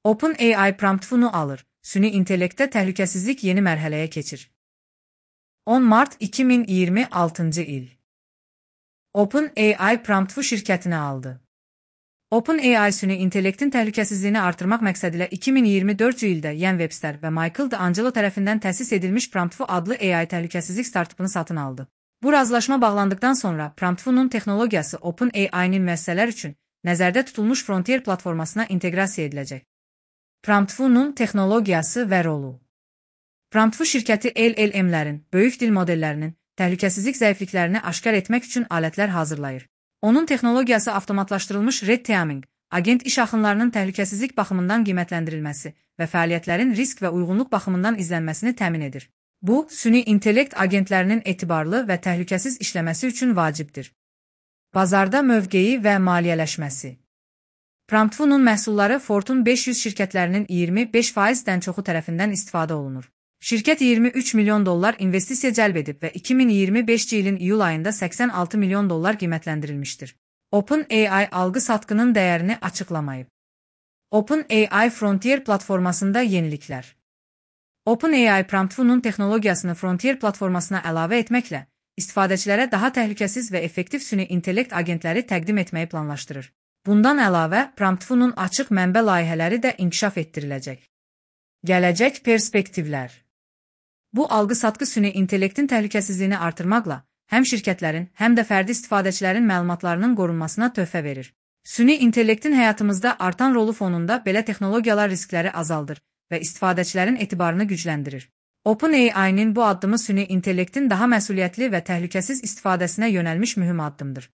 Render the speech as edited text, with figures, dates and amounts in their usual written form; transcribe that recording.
OpenAI prompt funu alır. Süni intellektdə təhlükəsizlik yeni mərhələyə keçir. 10 Mart 2026 il. OpenAI prompt şirkətini aldı. OpenAI süni intellektin təhlükəsizliyini artırmaq məqsədilə 2024 ildə Ian Webster və Michael D'Angelo tərəfindən təsis edilmiş Prompt adlı AI təhlükəsizlik startupunu satın aldı. Bu razılaşma bağlandıqdan sonra Prompt-nun texnologiyası OpenAI-nin müəssisələr üçün nəzərdə tutulmuş Frontier platformasına inteqrasiya ediləcək. Prompt-nun texnologiyası və rolu. Prompt şirkəti LLM-lərin, böyük dil modellərinin təhlükəsizlik zəifliklərini aşkar etmək üçün alətlər hazırlayır. Onun texnologiyası avtomatlaşdırılmış red teaming, agent iş axınlarının təhlükəsizlik baxımından qiymətləndirilməsi və fəaliyyətlərin risk və uyğunluq baxımından izlənməsini təmin edir. Bu, süni intellekt agentlərinin etibarlı və təhlükəsiz işləməsi üçün vacibdir. Bazarda mövqeyi və maliyyələşməsi. Prompt-nun məhsulları Fortune 500 şirkətlərinin 25%-dən çoxu tərəfindən istifadə olunur. Şirkət $23 milyon investisiya cəlb edib və 2025 ilin iyul ayında $86 milyon qiymətləndirilmişdir. OpenAI alqı-satqının dəyərini açıqlamayıb. OpenAI Frontier platformasında yeniliklər. OpenAI Prompt-nun texnologiyasını Frontier platformasına əlavə etməklə istifadəçilərə daha təhlükəsiz və effektiv süni intellekt agentləri təqdim etməyi planlaşdırır. Bundan əlavə, Prompt-nun açıq mənbə layihələri də inkişaf etdiriləcək. Gələcək perspektivlər. Bu alqı-satqı süni intellektin təhlükəsizliyini artırmaqla həm şirkətlərin, həm də fərdi istifadəçilərin məlumatlarının qorunmasına töhfə verir. Süni intellektin həyatımızda artan rolu fonunda belə texnologiyalar riskləri azaldır və istifadəçilərin etibarını gücləndirir. OpenAI-nin bu addımı süni intellektin daha məsuliyyətli və təhlükəsiz istifadəsinə yönəlmiş mühüm addımdır.